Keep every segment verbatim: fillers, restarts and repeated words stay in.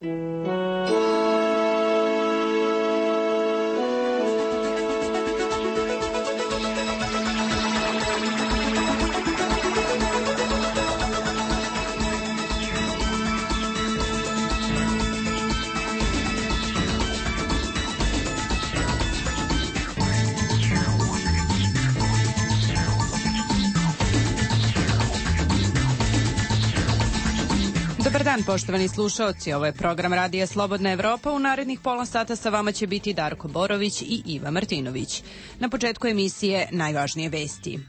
Dobar dan, poštovani slušaoci. Ovo je program Radija Slobodna Evropa. U narednih pola sata sa vama će biti Darko Borović i Iva Martinović. Na početku emisije najvažnije vesti.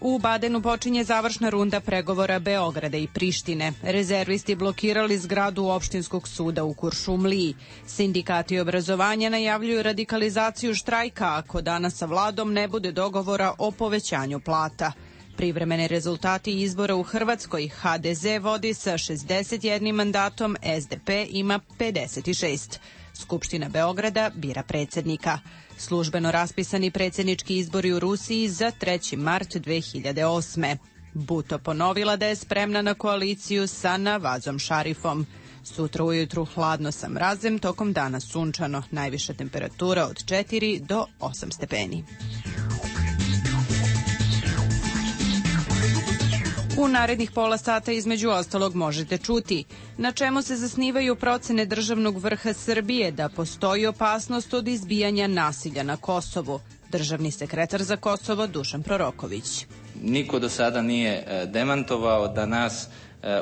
U Badenu počinje završna runda pregovora Beograda i Prištine. Rezervisti blokirali zgradu opštinskog suda u Kuršumliji. Sindikati obrazovanja najavljuju radikalizaciju štrajka ako danas sa vladom ne bude dogovora o povećanju plata. Privremeni rezultati izbora u Hrvatskoj: ha de ze vodi sa šezdeset jednim mandatom, es de pe ima pedeset šest. Skupština Beograda bira predsjednika. Službeno raspisani predsjednički izbori u Rusiji za treći mart dve hiljade osme. Buto ponovila da je spremna na koaliciju sa Navazom Šarifom. Sutra ujutru hladno sa mrazem, tokom dana sunčano, najviša temperatura od četiri do osam stepeni. U narednih pola sata između ostalog možete čuti na čemu se zasnivaju procene državnog vrha Srbije da postoji opasnost od izbijanja nasilja na Kosovu. Državni sekretar za Kosovo Dušan Proroković. Niko do sada nije demantovao da nas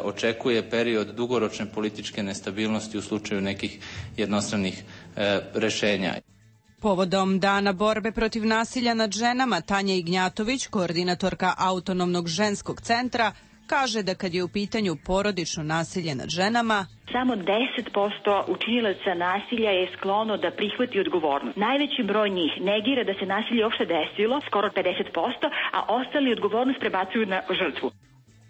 očekuje period dugoročne političke nestabilnosti u slučaju nekih jednostranih rešenja. Povodom Dana borbe protiv nasilja nad ženama, Tanja Ignjatović, koordinatorka Autonomnog ženskog centra, kaže da kad je u pitanju porodično nasilje nad ženama, samo deset posto učinilaca nasilja je sklono da prihvati odgovornost. Najveći broj njih negira da se nasilje uopšte desilo, skoro pedeset posto, a ostali odgovornost prebacuju na žrtvu.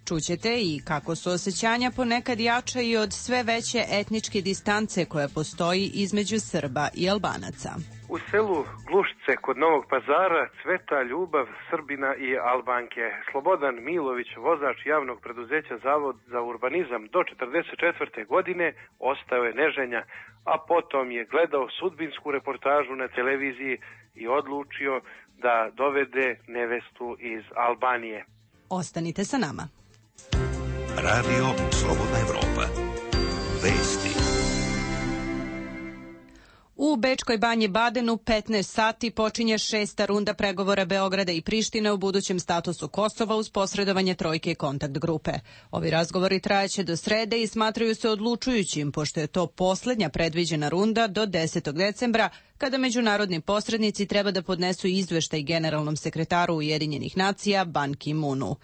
Čućete i kako su osjećanja ponekad jača i od sve veće etničke distance koja postoji između Srba i Albanaca. U selu Glušce kod Novog Pazara cveta ljubav Srbina i Albanke. Slobodan Milović, vozač javnog preduzeća Zavod za urbanizam do četrdeset četvrte godine, ostao je neženja, a potom je gledao sudbinsku reportažu na televiziji i odlučio da dovede nevestu iz Albanije. Ostanite sa nama. Radio Slobodna Evropa. Vesti. U Bečkoj banji Badenu petnaest sati počinje šesta runda pregovora Beograda i Prištine u budućem statusu Kosova uz posredovanje trojke kontakt grupe. Ovi razgovori trajaće do srede i smatraju se odlučujućim, pošto je to poslednja predviđena runda do desetog decembra, kada međunarodni posrednici treba da podnesu izveštaj generalnom sekretaru Ujedinjenih nacija Ban Ki-moonu.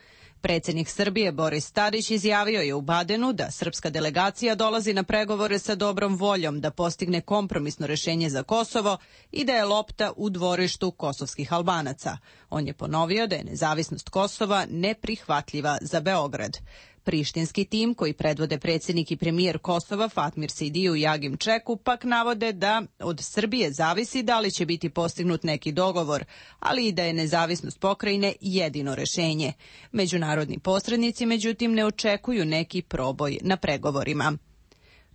Predsjednik Srbije Boris Tadić izjavio je u Badenu da srpska delegacija dolazi na pregovore sa dobrom voljom da postigne kompromisno rešenje za Kosovo i da je lopta u dvorištu kosovskih Albanaca. On je ponovio da je nezavisnost Kosova neprihvatljiva za Beograd. Prištinski tim, koji predvode predsjednik i premijer Kosova Fatmir Sidiju i Agim Čeku, pak navode da od Srbije zavisi da li će biti postignut neki dogovor, ali i da je nezavisnost pokrajine jedino rešenje. Međunarodni posrednici, međutim, ne očekuju neki proboj na pregovorima.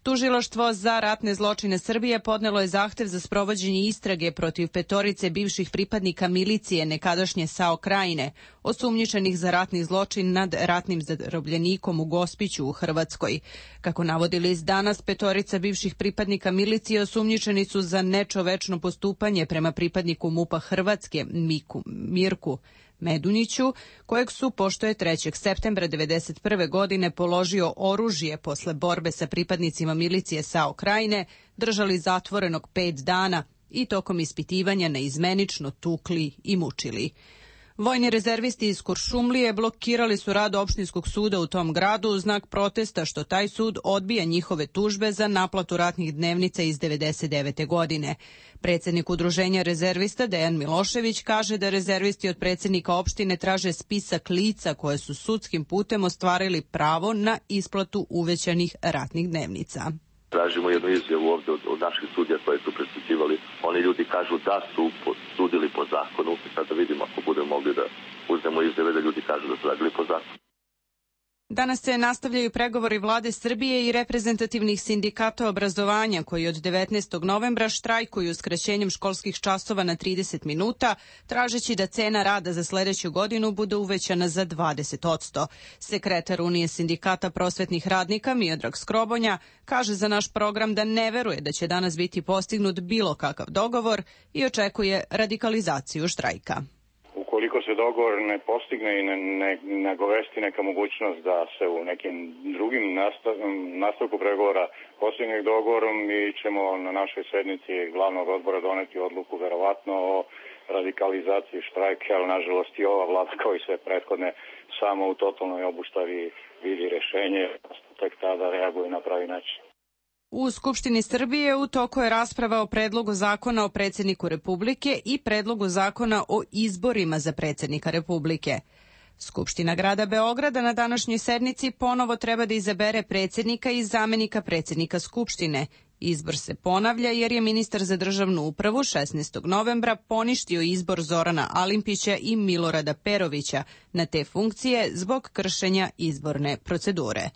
Tužilaštvo za ratne zločine Srbije podnelo je zahtev za sprovođenje istrage protiv petorice bivših pripadnika milicije nekadašnje SAO Krajine, osumnjičenih za ratni zločin nad ratnim zarobljenikom u Gospiću u Hrvatskoj. Kako navodi list Danas, petorica bivših pripadnika milicije osumnjičeni su za nečovečno postupanje prema pripadniku MUP-a Hrvatske Miku, Mirku Medunjiću, kojeg su, pošto je trećeg septembra devedeset prve godine položio oružje posle borbe sa pripadnicima milicije SAO Krajine, držali zatvorenog pet dana i tokom ispitivanja neizmenično tukli i mučili. Vojni rezervisti iz Kuršumlije blokirali su rad opštinskog suda u tom gradu u znak protesta što taj sud odbija njihove tužbe za naplatu ratnih dnevnica iz devedeset devete godine. Predsjednik udruženja rezervista Dejan Milošević kaže da rezervisti od predsjednika opštine traže spisak lica koje su sudskim putem ostvarili pravo na isplatu uvećanih ratnih dnevnica. Tražimo jednu izjavu ovdje od, od naših sudija koje su presuđivali. Oni ljudi kažu da su sudili po zakonu. Sada vidimo ako budemo mogli da uzmemo izjave da ljudi kažu da su radili po zakonu. Danas se nastavljaju pregovori vlade Srbije i reprezentativnih sindikata obrazovanja koji od devetnaestog novembra štrajkuju skraćenjem školskih časova na trideset minuta, tražeći da cena rada za sledeću godinu bude uvećana za dvadeset posto. Sekretar Unije sindikata prosvetnih radnika Miodrag Skrobonja kaže za naš program da ne veruje da će danas biti postignut bilo kakav dogovor i očekuje radikalizaciju štrajka. Ukoliko se dogovor ne postigne i ne, ne, ne govesti neka mogućnost da se u nekim drugim nastav, nastavku pregovora postigne dogovorom, mi ćemo na našoj sednici glavnog odbora doneti odluku verovatno o radikalizaciji štrajka, ali nažalost i ova vlada kao i sve prethodne samo u totalnoj obustavi vidi rešenje, tek tada reaguje na pravi način. U Skupštini Srbije u toku je rasprava o predlogu zakona o predsjedniku Republike i predlogu zakona o izborima za predsjednika Republike. Skupština grada Beograda na današnjoj sednici ponovo treba da izabere predsjednika i zamenika predsjednika Skupštine. Izbor se ponavlja jer je ministar za državnu upravu šesnaestog novembra poništio izbor Zorana Alimpića i Milorada Perovića na te funkcije zbog kršenja izborne procedure.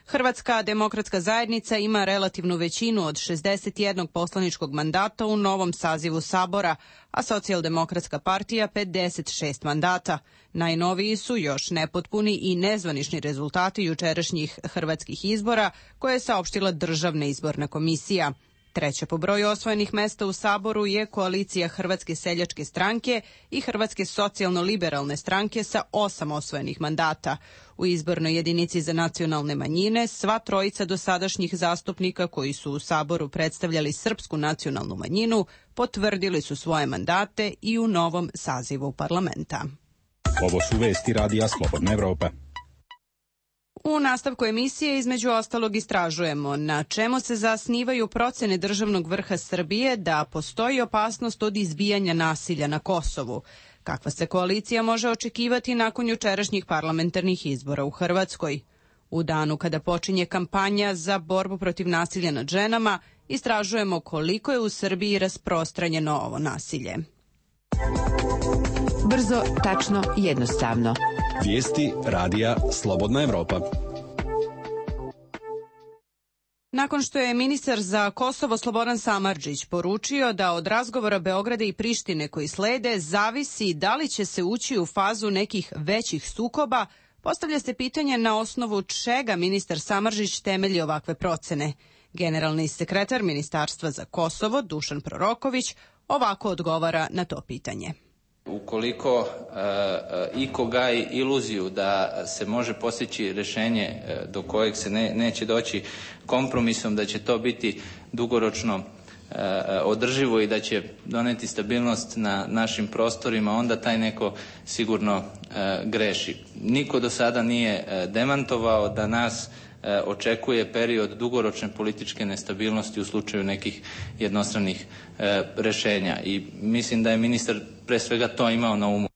Hrvatska demokratska zajednica ima relativnu većinu od šezdeset jednog poslaničkog mandata u novom sazivu Sabora, a Socijaldemokratska partija pedeset šest mandata. Najnoviji su još nepotpuni i nezvanični rezultati jučerašnjih hrvatskih izbora koje je saopštila Državna izborna komisija. Treća po broju osvojenih mesta u Saboru je koalicija Hrvatske seljačke stranke i Hrvatske socijalno-liberalne stranke sa osam osvojenih mandata. U izbornoj jedinici za nacionalne manjine sva trojica dosadašnjih zastupnika koji su u Saboru predstavljali srpsku nacionalnu manjinu potvrdili su svoje mandate i u novom sazivu parlamenta. Ovo su vesti Radija Slobodna Evropa. U nastavku emisije između ostalog istražujemo na čemu se zasnivaju procene državnog vrha Srbije da postoji opasnost od izbijanja nasilja na Kosovu. Kakva se koalicija može očekivati nakon jučerašnjih parlamentarnih izbora u Hrvatskoj? U danu kada počinje kampanja za borbu protiv nasilja nad ženama, istražujemo koliko je u Srbiji rasprostranjeno ovo nasilje. Brzo, tačno, jednostavno. Vijesti Radija Slobodna Evropa. Nakon što je ministar za Kosovo Slobodan Samardžić poručio da od razgovora Beograda i Prištine koji slede zavisi da li će se ući u fazu nekih većih sukoba, postavlja se pitanje na osnovu čega ministar Samardžić temelji ovakve procene. Generalni sekretar Ministarstva za Kosovo Dušan Proroković ovako odgovara na to pitanje. Ukoliko e, e, iko gaji iluziju da se može postići rješenje e, do kojeg se ne, neće doći kompromisom, da će to biti dugoročno e, održivo i da će doneti stabilnost na našim prostorima, onda taj neko sigurno e, greši. Niko do sada nije e, demantovao da nas e, očekuje period dugoročne političke nestabilnosti u slučaju nekih jednostranih e, rješenja i mislim da je ministar pre svega to imao na umu.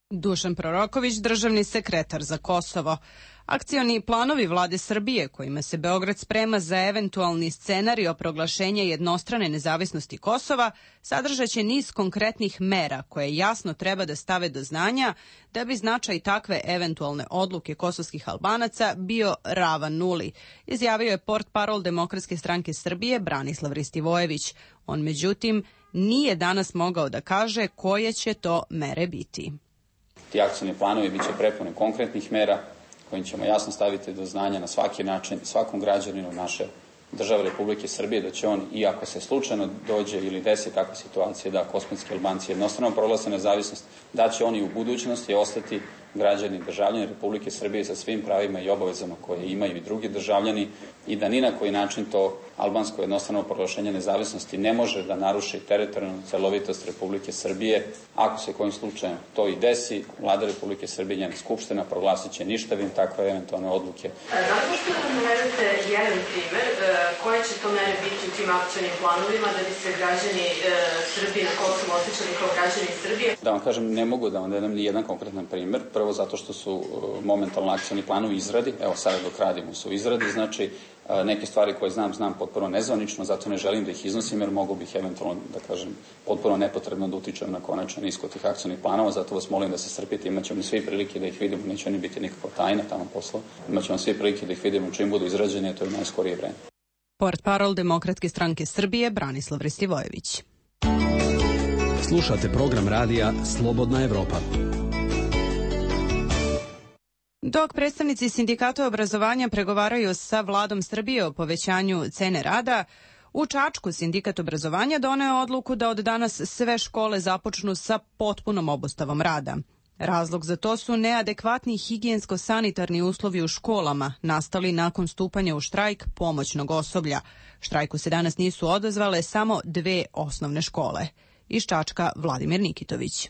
Dušan Proroković, državni sekretar za Kosovo. Akcioni planovi vlade Srbije, kojima se Beograd sprema za eventualni scenario proglašenja jednostrane nezavisnosti Kosova, sadržaće niz konkretnih mera koje jasno treba da stave do znanja da bi značaj takve eventualne odluke kosovskih Albanaca bio ravan nuli, izjavio je portparol Demokratske stranke Srbije Branislav Ristivojević. On, međutim, nije danas mogao da kaže koje će to mere biti. Ti akcioni planovi biće prepuni konkretnih mera kojim ćemo jasno staviti do znanja na svaki način svakom građaninu naše države Republike Srbije da će on, i ako se slučajno dođe ili desi takva situacija da kosmetski Albanci jednostrano proglase nezavisnost, da će oni u budućnosti ostati građani i državljani Republike Srbije sa svim pravima i obavezama koje imaju i drugi državljani i da ni na koji način to albansko jednostrano proglašenje nezavisnosti ne može da naruši teritorijalnu celovitost Republike Srbije. Ako se kojim slučajem to i desi, Vlada Republike Srbije i njena skupština proglasit će ništavim takve eventualne odluke. Da li možete da navedete jedan primer koje će to mere biti u tim akcionim planovima da bi se građani Srbije na Kosovu osjećali kao građani Srbije? Da vam kažem, ne mogu da vam dam ni jedan konkretan primer. prvo zato što su momentalno akcioni planovi izradi, evo sada dok radimo su izradi, znači neke stvari koje znam, znam potpuno nezvanično, zato ne želim da ih iznosim jer mogu bih eventualno, da kažem, potpuno nepotrebno da utičem na konačan ishod tih akcionih planova, zato vas molim da se strpite, imat ćemo svi prilike da ih vidimo, neće oni biti nikakva tajna tamo posla, imat ćemo svi prilike da ih vidimo čim budu izrađeni, a to je u najskorije vreme. Portparol Demokratske stranke Srbije Branislav Restivojević. Slušate program radija Slobodna Evropa. Dok predstavnici sindikata obrazovanja pregovaraju sa vladom Srbije o povećanju cene rada, u Čačku sindikat obrazovanja doneo odluku da od danas sve škole započnu sa potpunom obustavom rada. Razlog za to su neadekvatni higijensko-sanitarni uslovi u školama, nastali nakon stupanja u štrajk pomoćnog osoblja. Štrajku se danas nisu odazvale samo dve osnovne škole. Iz Čačka Vladimir Nikitović.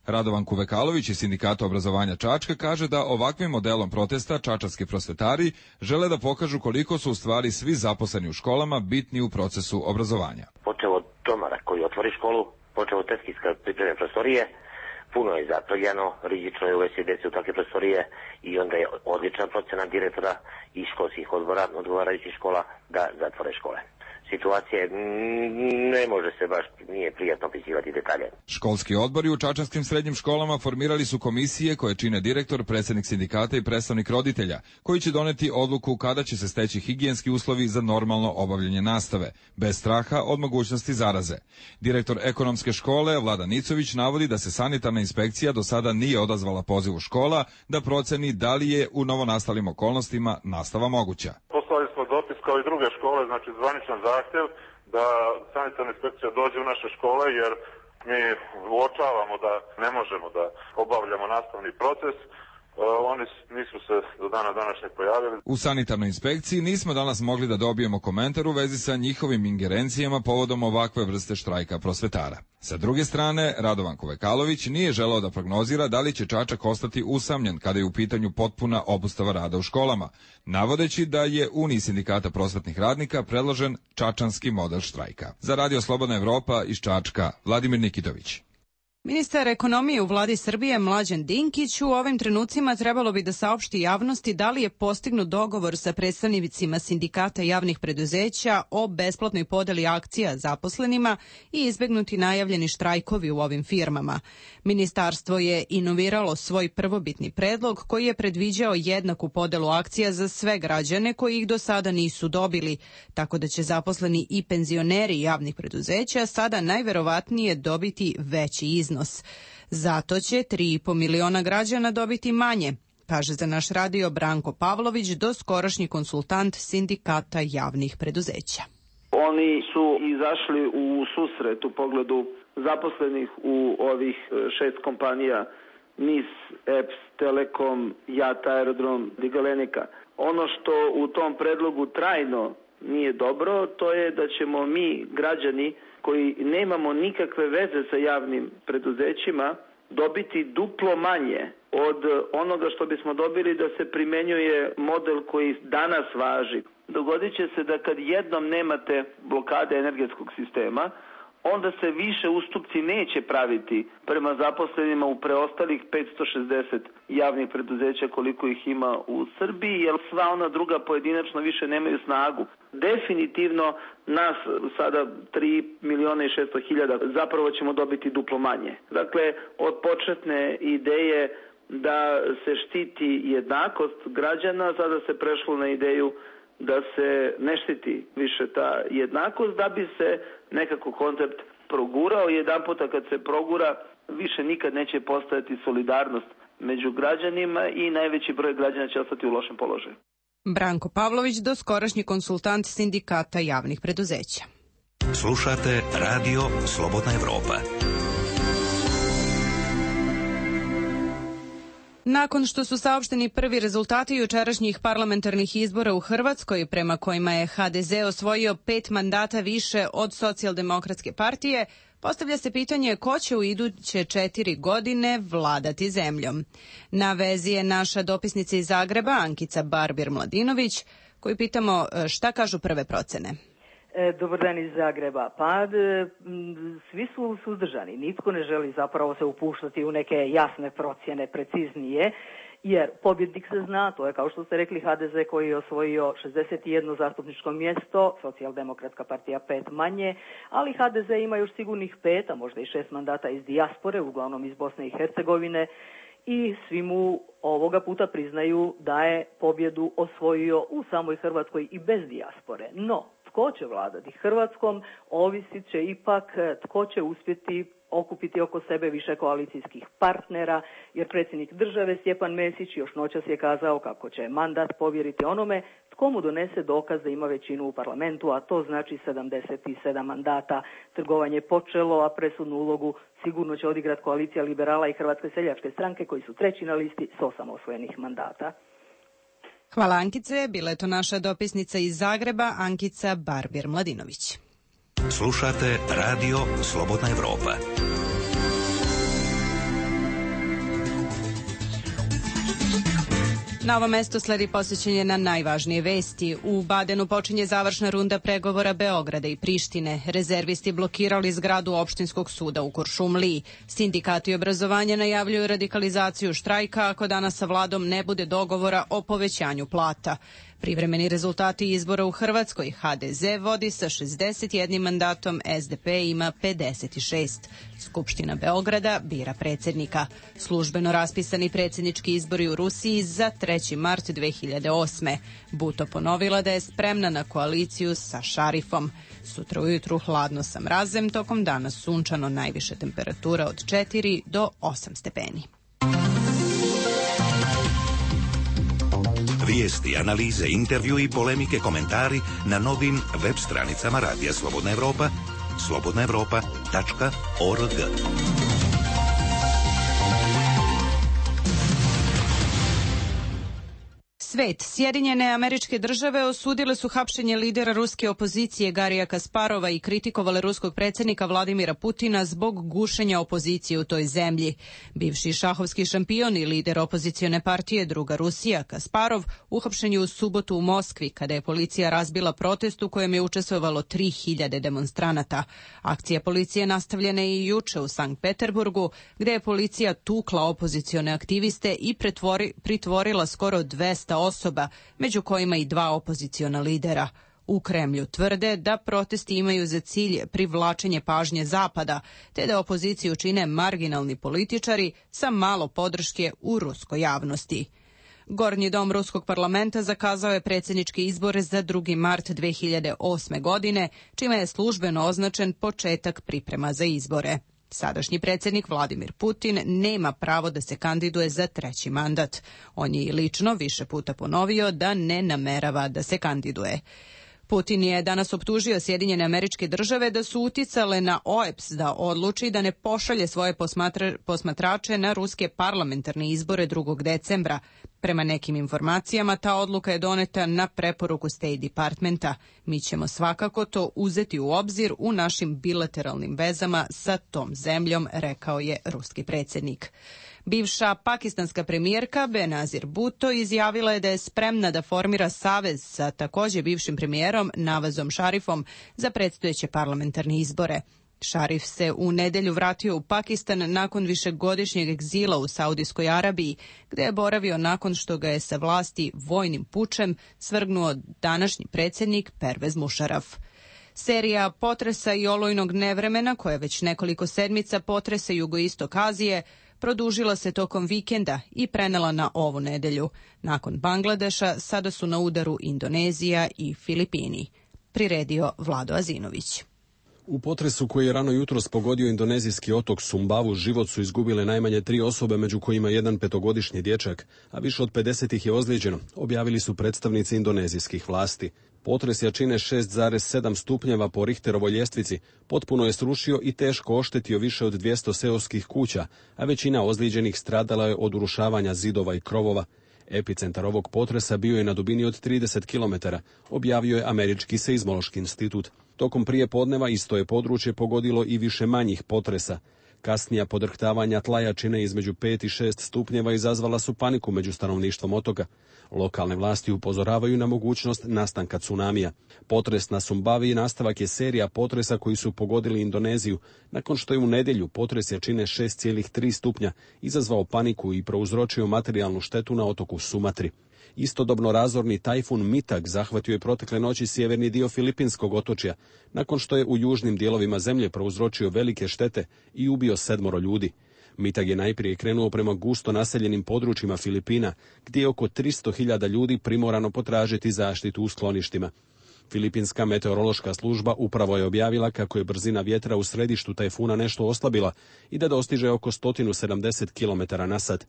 Radovan Kuvekalović iz Sindikata obrazovanja Čačka kaže da ovakvim modelom protesta čačanski prosvetari žele da pokažu koliko su u stvari svi zaposleni u školama bitni u procesu obrazovanja. Počeo od domara koji otvori školu, počeo od teskijska pripreme prostorije, puno je zaprljano, rizično je uvesti djece u takve prostorije i onda je odlična procena direktora i školskih odbora odgovarajućih škola da zatvore škole. Situacije ne može se baš, nije prijatno opisivati detalje. Školski odbori u čačanskim srednjim školama formirali su komisije koje čine direktor, predsjednik sindikata i predstavnik roditelja, koji će doneti odluku kada će se steći higijenski uslovi za normalno obavljanje nastave, bez straha od mogućnosti zaraze. Direktor ekonomske škole Vlada Nicović navodi da se sanitarna inspekcija do sada nije odazvala pozivu škola da proceni da li je u novonastalim okolnostima nastava moguća. Poslali smo dopis kao i druge škole, znači zvaničan zahtjev da sanitarna inspekcija dođe u naše škole jer mi uočavamo da ne možemo da obavljamo nastavni proces. Oni nisu se do dana današnjeg pojavili. U sanitarnoj inspekciji nismo danas mogli da dobijemo komentar u vezi sa njihovim ingerencijama povodom ovakve vrste štrajka prosvetara. Sa druge strane, Radovan Kuvekalović nije želeo da prognozira da li će Čačak ostati usamljen kada je u pitanju potpuna obustava rada u školama, navodeći da je Uniji sindikata prosvetnih radnika predložen čačanski model štrajka. Za Radio Slobodna Evropa iz Čačka, Vladimir Nikitović. Ministar ekonomije u vladi Srbije Mlađan Dinkić u ovim trenucima trebalo bi da saopšti javnosti da li je postignut dogovor sa predstavnicima sindikata javnih preduzeća o besplatnoj podeli akcija zaposlenima i izbegnuti najavljeni štrajkovi u ovim firmama. Ministarstvo je inoviralo svoj prvobitni predlog koji je predviđao jednaku podelu akcija za sve građane koji ih do sada nisu dobili, tako da će zaposleni i penzioneri javnih preduzeća sada najverovatnije dobiti veći iznos. Zato će tri i po miliona građana dobiti manje, kaže za naš radio Branko Pavlović, doskorašnji konsultant sindikata javnih preduzeća. Oni su izašli u susret u pogledu zaposlenih u ovih šest kompanija N I S, E P S, Telekom, JAT Aerodrom, Digalenika. Ono što u tom predlogu trajno nije dobro, to je da ćemo mi, građani koji nemamo nikakve veze sa javnim preduzećima, dobiti duplo manje od onoga što bismo dobili da se primenjuje model koji danas važi. Dogodit će se da kad jednom nemate blokade energetskog sistema, onda se više ustupci neće praviti prema zaposlenima u preostalih petsto šezdeset javnih preduzeća koliko ih ima u Srbiji, jer sva ona druga pojedinačno više nemaju snagu. Definitivno nas sada tri miliona i šesto hiljada zapravo ćemo dobiti duplo manje. Dakle, od početne ideje da se štiti jednakost građana, sada se prešlo na ideju da se ne štiti više ta jednakost, da bi se nekako koncept progurao. Jedan puta kad se progura, više nikad neće postojati solidarnost među građanima i najveći broj građana će ostati u lošem položaju. Branko Pavlović, doskorašnji konsultant sindikata javnih preduzeća. Slušate Radio Slobodna Evropa. Nakon što su saopšteni prvi rezultati jučerašnjih parlamentarnih izbora u Hrvatskoj, prema kojima je H D Z osvojio pet mandata više od Socijaldemokratske partije, postavlja se pitanje ko će u iduće četiri godine vladati zemljom. Na vezi je naša dopisnica iz Zagreba, Ankica Barbir Mladinović, koju pitamo šta kažu prve procene. Dobar dan iz Zagreba. Pa svi su suzdržani. Nitko ne želi zapravo se upuštati u neke jasne procjene, preciznije, jer pobjednik se zna, to je kao što ste rekli ha de ze koji je osvojio šezdeset jedno zastupničko mjesto, Socijaldemokratska partija pet manje, ali ha de ze ima još sigurnih pet, a možda i šest mandata iz dijaspore, uglavnom iz Bosne i Hercegovine, i svi mu ovoga puta priznaju da je pobjedu osvojio u samoj Hrvatskoj i bez dijaspore. No, tko će vladati Hrvatskom, ovisit će ipak tko će uspjeti okupiti oko sebe više koalicijskih partnera, jer predsjednik države Stjepan Mesić još noćas je kazao kako će mandat povjeriti onome tko mu donese dokaz da ima većinu u parlamentu, a to znači sedamdeset sedam mandata. Trgovanje je počelo, a presudnu ulogu sigurno će odigrati koalicija liberala i Hrvatske seljačke stranke koji su treći na listi s osam osvojenih mandata. Hvala Ankice, bila je to naša dopisnica iz Zagreba, Ankica Barbir-Mladinović. Slušate Radio Slobodna Evropa. Na ovom mestu sledi posjećenje na najvažnije vesti. U Badenu počinje završna runda pregovora Beograda i Prištine. Rezervisti blokirali zgradu opštinskog suda u Kuršumliji. Sindikati obrazovanja najavljuju radikalizaciju štrajka ako danas sa vladom ne bude dogovora o povećanju plata. Privremeni rezultati izbora u Hrvatskoj. ha de ze vodi sa šezdeset jednim mandatom, es de pe ima pedeset šest. Skupština Beograda bira predsjednika. Službeno raspisani predsjednički izbori u Rusiji za treći mart dve hiljade osme. Buto ponovila da je spremna na koaliciju sa Šarifom. Sutra ujutru hladno sa mrazem, tokom dana sunčano, najviše temperatura od četiri do osam stepeni. Vijesti, analize, intervju i polemike, komentari na novim web stranicama Radija Slobodna Evropa, slobodna evropa tačka org. Svet. Sjedinjene Američke Države osudile su hapšenje lidera ruske opozicije Garija Kasparova i kritikovale ruskog predsjednika Vladimira Putina zbog gušenja opozicije u toj zemlji. Bivši šahovski šampion i lider opozicione partije Druga Rusija Kasparov uhapšen je u subotu u Moskvi kada je policija razbila protest u kojem je učestvovalo tri hiljade demonstranata. Akcija policije nastavljena je i juče u Sankt Peterburgu, gdje je policija tukla opozicione aktiviste i pretvori, pritvorila skoro dvesta osoba, među kojima i dva opoziciona lidera. U Kremlju tvrde da protesti imaju za cilj privlačenje pažnje Zapada, te da opoziciju čine marginalni političari sa malo podrške u ruskoj javnosti. Gornji dom ruskog parlamenta zakazao je predsjedničke izbore za drugi mart dve hiljade osme. godine, čime je službeno označen početak priprema za izbore. Sadašnji predsjednik Vladimir Putin nema pravo da se kandiduje za treći mandat. On je i lično više puta ponovio da ne namerava da se kandiduje. Putin je danas optužio Sjedinjene Američke Države da su uticale na o e pe es da odluči da ne pošalje svoje posmatra, posmatrače na ruske parlamentarne izbore drugog decembra. Prema nekim informacijama, ta odluka je doneta na preporuku State Departmenta. Mi ćemo svakako to uzeti u obzir u našim bilateralnim vezama sa tom zemljom, rekao je ruski predsjednik. Bivša pakistanska premijerka Benazir Bhutto izjavila je da je spremna da formira savez sa također bivšim premijerom Nawazom Sharifom za predstojeće parlamentarne izbore. Sharif se u nedjelju vratio u Pakistan nakon višegodišnjeg egzila u Saudijskoj Arabiji, gdje je boravio nakon što ga je sa vlasti vojnim pučem svrgnuo današnji predsjednik Pervez Musharraf. Serija potresa i olujnog nevremena, koja već nekoliko sedmica potresa jugoistok Azije, produžila se tokom vikenda i prenela na ovu nedjelju. Nakon Bangladeša sada su na udaru Indonezija i Filipini. Priredio Vlado Azinović. U potresu koji je rano jutros pogodio indonezijski otok Sumbavu život su izgubile najmanje tri osobe, među kojima jedan petogodišnji dječak, a više od pedeset ih je ozlijeđeno, objavili su predstavnici indonezijskih vlasti. Potres jačine šest zarez sedam stupnjeva po Richterovoj ljestvici potpuno je srušio i teško oštetio više od dvjesto seoskih kuća, a većina ozlijeđenih stradala je od urušavanja zidova i krovova. Epicentar ovog potresa bio je na dubini od trideset kilometara, objavio je Američki seizmološki institut. Tokom prije podneva isto je područje pogodilo i više manjih potresa. Kasnija podrhtavanja tla jačine između pet i šest stupnjeva izazvala su paniku među stanovništvom otoka. Lokalne vlasti upozoravaju na mogućnost nastanka tsunamija. Potres na Sumbavi nastavak je serija potresa koji su pogodili Indoneziju, nakon što je u nedjelju potres jačine šest zarez tri stupnja izazvao paniku i prouzročio materijalnu štetu na otoku Sumatri. Istodobno razorni tajfun Mitag zahvatio je protekle noći sjeverni dio Filipinskog otočja, nakon što je u južnim dijelovima zemlje prouzročio velike štete i ubio sedmoro ljudi. Mitag je najprije krenuo prema gusto naseljenim područjima Filipina, gdje je oko tristo hiljada ljudi primorano potražiti zaštitu u skloništima. Filipinska meteorološka služba upravo je objavila kako je brzina vjetra u središtu tajfuna nešto oslabila i da dostiže oko sto sedamdeset kilometara na sat.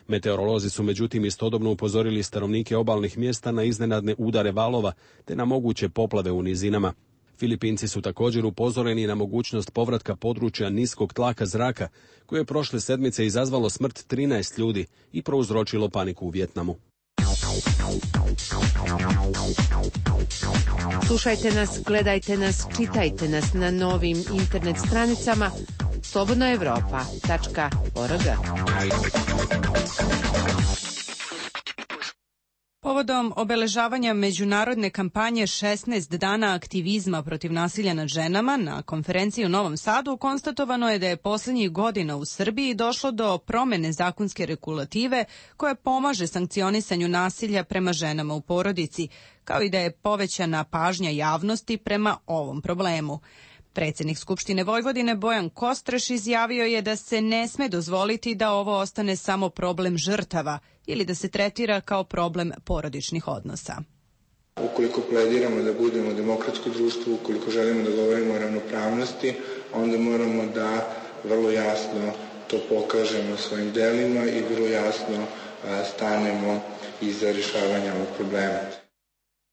Meteorolozi su međutim istodobno upozorili stanovnike obalnih mjesta na iznenadne udare valova te na moguće poplave u nizinama. Filipinci su također upozoreni na mogućnost povratka područja niskog tlaka zraka, koje je prošle sedmice izazvalo smrt trinaest ljudi i prouzročilo paniku u Vijetnamu. Slušajte nas, gledajte nas, čitajte nas na novim internet stranicama slobodna evropa tačka org. Povodom obeležavanja međunarodne kampanje šesnaest dana aktivizma protiv nasilja nad ženama na konferenciji u Novom Sadu konstatovano je da je posljednjih godina u Srbiji došlo do promjene zakonske regulative koja pomaže sankcionisanju nasilja prema ženama u porodici, kao i da je povećana pažnja javnosti prema ovom problemu. Predsjednik Skupštine Vojvodine Bojan Kostreš izjavio je da se ne sme dozvoliti da ovo ostane samo problem žrtava ili da se tretira kao problem porodičnih odnosa. Ukoliko plediramo da budemo demokratsko društvo, ukoliko želimo da govorimo o ravnopravnosti, onda moramo da vrlo jasno to pokažemo svojim delima i vrlo jasno stanemo iza rješavanja ovog problema.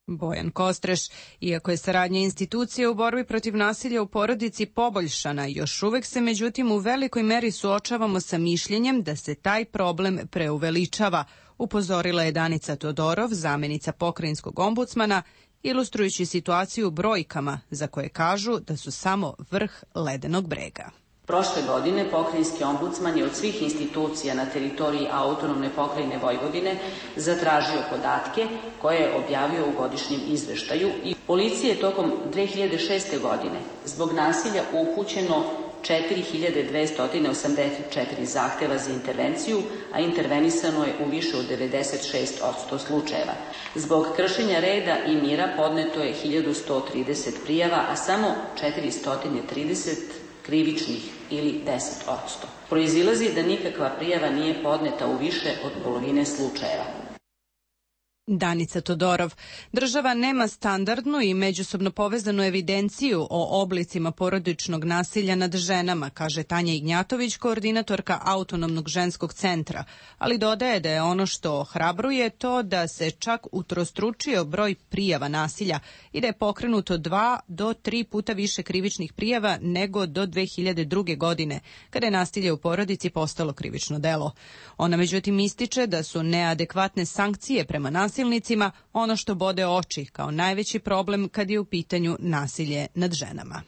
Bojan Kostreš, iako je saradnja institucije u borbi protiv nasilja u porodici poboljšana, još uvek se međutim u velikoj meri suočavamo sa mišljenjem da se taj problem preuveličava, upozorila je Danica Todorov, zamjenica pokrajinskog ombudsmana, ilustrujući situaciju brojkama za koje kažu da su samo vrh ledenog brega. Prošle godine pokrajinski ombudsman je od svih institucija na teritoriji autonomne pokrajine Vojvodine zatražio podatke koje je objavio u godišnjem izveštaju i policije je tokom dve hiljade šeste. godine zbog nasilja upućeno četiri hiljade dvesta osamdeset četiri zahteva za intervenciju, a intervenisano je u više od devedeset šest posto slučajeva. Zbog kršenja reda i mira podneto je hiljadu sto trideset prijava, a samo četiristo trideset krivičnih ili deset posto. Proizilazi da nikakva prijava nije podneta u više od polovine slučajeva. Danica Todorov. Država nema standardnu i međusobno povezanu evidenciju o oblicima porodičnog nasilja nad ženama, kaže Tanja Ignjatović, koordinatorka Autonomnog ženskog centra, ali dodaje da je ono što ohrabruje to da se čak utrostručio broj prijava nasilja i da je pokrenuto dva do tri puta više krivičnih prijava nego do dve hiljade druge. godine, kada je nasilje u porodici postalo krivično delo. Ona međutim ističe da su neadekvatne sankcije prema nasilju nasilnicima ono što bode oči kao najveći problem kad je u pitanju nasilje nad ženama.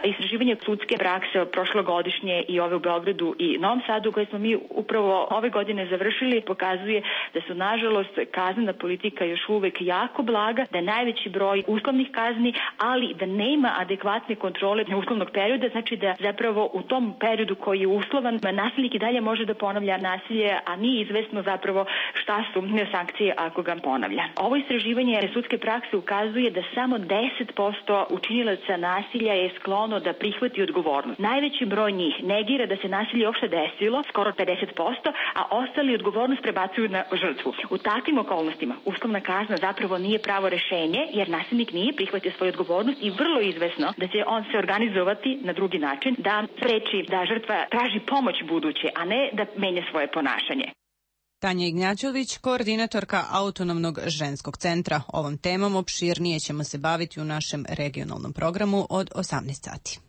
Istraživanje sudske prakse prošlogodišnje i ove u Beogradu i Novom Sadu koje smo mi upravo ove godine završili pokazuje da su nažalost kaznena politika još uvek jako blaga, da je najveći broj uslovnih kazni, ali da nema adekvatne kontrole uslovnog perioda, znači da zapravo u tom periodu koji je uslovan nasilnik i dalje može da ponavlja nasilje, a nije izvesno zapravo šta su sankcije ako ga ponavlja. Ovo istraživanje sudske prakse ukazuje da samo deset posto učinilaca nasilja je sklon da prihvati odgovornost. Najveći broj njih negira da se nasilje uopšte desilo, skoro pedeset posto, a ostali odgovornost prebacuju na žrtvu. U takvim okolnostima uslovna kazna zapravo nije pravo rešenje, jer nasilnik nije prihvatio svoju odgovornost i vrlo izvesno da će on se organizovati na drugi način, da spreči da žrtva traži pomoć buduće, a ne da menja svoje ponašanje. Tanja Ignjačević, koordinatorka Autonomnog ženskog centra. Ovom temom opširnije ćemo se baviti u našem regionalnom programu od osamnaest sati.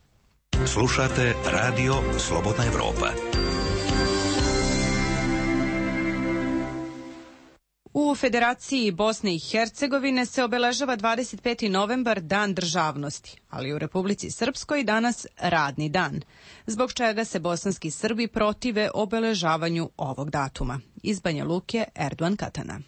Slušate Radio Slobodna Evropa. U Federaciji Bosne i Hercegovine se obeležava dvadeset peti novembar, Dan državnosti, ali u Republici Srpskoj danas radni dan, zbog čega se bosanski Srbi protive obeležavanju ovog datuma. Iz Banja Luke, Erdogan Katana.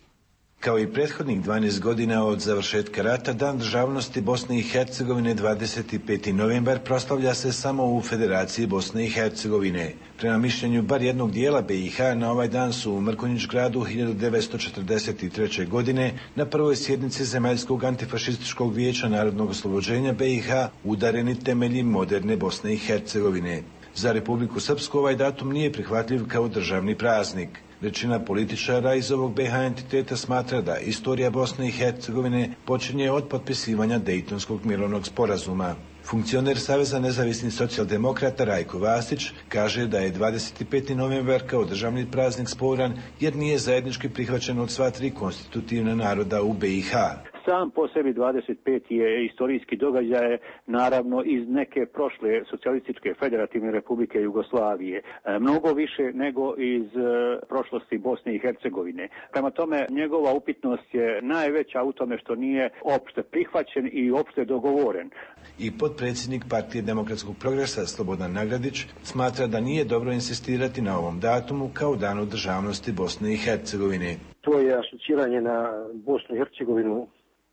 Kao i prethodnih dvanaest godina od završetka rata, Dan državnosti Bosne i Hercegovine dvadeset peti novembar proslavlja se samo u Federaciji Bosne i Hercegovine. Prema mišljenju bar jednog dijela be i ha, na ovaj dan su u Mrkonjić gradu hiljadu devetsto četrdeset treće. godine na prvoj sjednici Zemaljskog antifašističkog vijeća narodnog oslobođenja be i ha udareni temelji moderne Bosne i Hercegovine. Za Republiku Srpsku ovaj datum nije prihvatljiv kao državni praznik. Većina političara iz ovog be ha entiteta smatra da istorija Bosne i Hercegovine počinje od potpisivanja Dejtonskog mirovnog sporazuma. Funkcioner Saveza nezavisnih socijaldemokrata Rajko Vasić kaže da je dvadeset peti novembar kao državni praznik sporan jer nije zajednički prihvaćen od sva tri konstitutivna naroda u be i ha. Sam po sebi dvadeset peti je istorijski događaj, naravno iz neke prošle socijalističke federativne republike Jugoslavije, e, mnogo više nego iz e, prošlosti Bosne i Hercegovine. Prema tome, njegova upitnost je najveća u tome što nije opšte prihvaćen i opšte dogovoren. I potpredsjednik Partije demokratskog progresa Slobodan Nagradić smatra da nije dobro insistirati na ovom datumu kao danu državnosti Bosne i Hercegovine. To je asociranje na Bosnu i Hercegovinu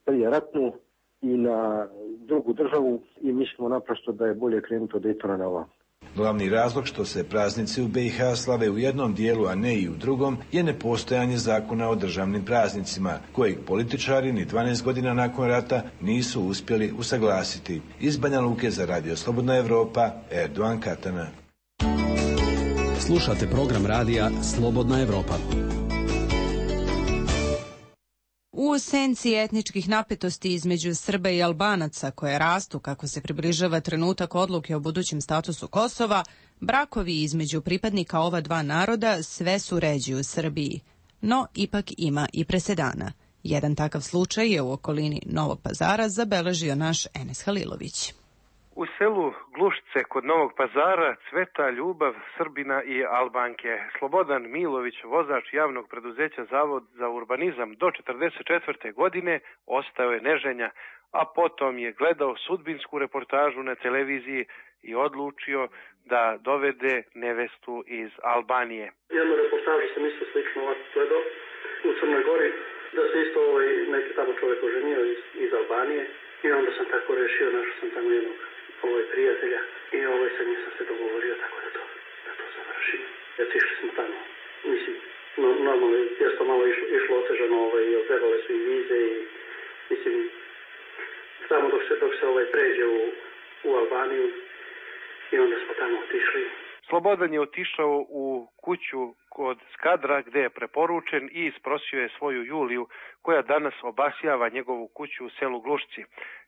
prije ratnu i na drugu državu i mislimo naprosto da je bolje krenuti od Dejtona na ovam. Glavni razlog što se praznici u be i ha slave u jednom dijelu, a ne i u drugom, je nepostojanje zakona o državnim praznicima, kojeg političari ni dvanaest godina nakon rata nisu uspjeli usaglasiti. Iz Banja Luke za Radio Slobodna Evropa, Erdogan Katana. Slušate program radija Slobodna Evropa. U senci etničkih napetosti između Srba i Albanaca koje rastu kako se približava trenutak odluke o budućem statusu Kosova, brakovi između pripadnika ova dva naroda sve su ređi u Srbiji. No, ipak ima i presedana. Jedan takav slučaj je u okolini Novog Pazara zabeležio naš Enes Halilović. U selu Glušce kod Novog Pazara cveta ljubav Srbina i Albanke. Slobodan Milović, vozač javnog preduzeća Zavod za urbanizam do četrdeset četvrte. godine, ostao je neženja, a potom je gledao sudbinsku reportažu na televiziji i odlučio da dovede nevestu iz Albanije. Jednu reportažu sam isto slično ovako gledao u Crnoj Gori, da se isto ovaj neki tamo čovjek oženio iz, iz Albanije i onda sam tako rešio, našao sam tamo jednog ovoj prijatelja i ovaj sa njim sam se dogovorio tako da to, da to završimo. Otišli smo tamo, mislim, no, normalno je to malo išlo, išlo otežano, ovaj, trebale su i vize i mislim, tamo dok se, dok se ovaj pređe u, u Albaniju i onda smo tamo otišli. Slobodan je otišao u kuću kod Skadra gde je preporučen i isprosio je svoju Juliju koja danas obasjava njegovu kuću u selu Glušci.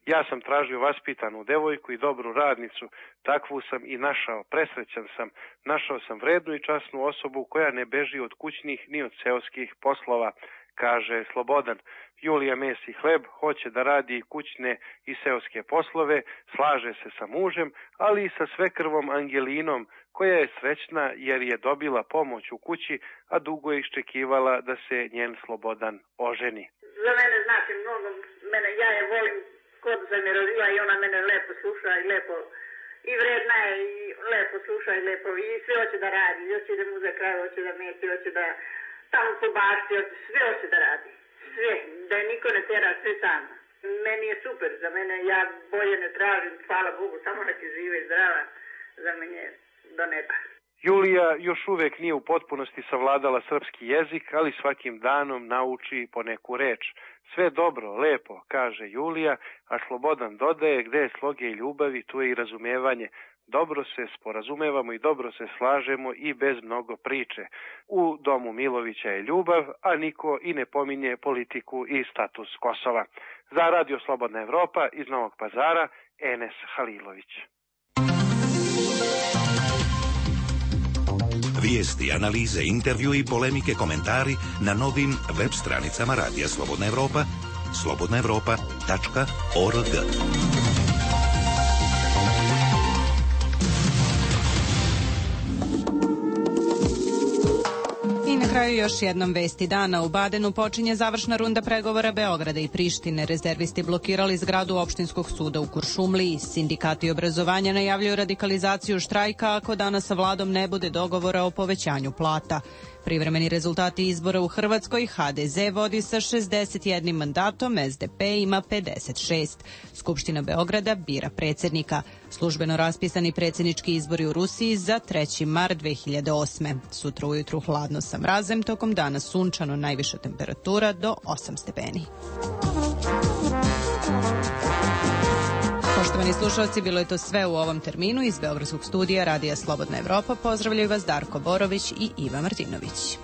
Ja sam tražio vaspitanu devojku i dobru radnicu, takvu sam i našao, presrećan sam. Našao sam vrednu i časnu osobu koja ne beži od kućnih ni od seoskih poslova, kaže Slobodan. Julija mesi hleb, hoće da radi i kućne i seoske poslove, slaže se sa mužem, ali i sa svekrvom Angelinom, koja je srećna jer je dobila pomoć u kući, a dugo je iščekivala da se njen Slobodan oženi. Za mene znači mnogo, mene, ja je volim kod sam je rodila i ona mene lepo sluša i lepo, i vredna je i lepo sluša i lepo, i sve hoće da radi, hoće da mu za kraj, hoće da meti, hoće da tamo po bašti, sve hoće da radi, sve, da je niko ne tera, sve sama. Meni je super, za mene ja bolje ne tražim, hvala Bogu, samo da će žive i zdrava, za mene do neba. Julija još uvek nije u potpunosti savladala srpski jezik, ali svakim danom nauči po neku reč. Sve dobro, lepo, kaže Julija, a Slobodan dodaje gde je sloge i ljubavi, tu je i razumevanje. Dobro se sporazumevamo i dobro se slažemo i bez mnogo priče. U domu Milovića je ljubav, a niko i ne pominje politiku i status Kosova. Za Radio Slobodna Evropa iz Novog Pazara, Enes Halilović. Vijesti, analize, intervju i polemike, komentari na novim web stranicama Radija Slobodna Evropa, slobodna evropa tačka org. I na kraju kraju još jednom vesti dana. U Badenu počinje završna runda pregovora Beograda i Prištine. Rezervisti blokirali zgradu opštinskog suda u Kuršumliji. Sindikati obrazovanja najavljuju radikalizaciju štrajka ako danas sa vladom ne bude dogovora o povećanju plata. Privremeni rezultati izbora u Hrvatskoj: ha de ze vodi sa šezdeset jednim mandatom, es de pe ima pedeset šest. Skupština Beograda bira predsjednika. Službeno raspisani predsjednički izbori u Rusiji za treći mart dve hiljade osme. Sutra ujutru hladno sa mrazem, tokom dana sunčano, najviša temperatura do osam stepeni. Poštovani slušalci, bilo je to sve u ovom terminu. Iz Beogradskog studija Radija Slobodna Evropa pozdravljaju vas Darko Borović i Iva Martinović.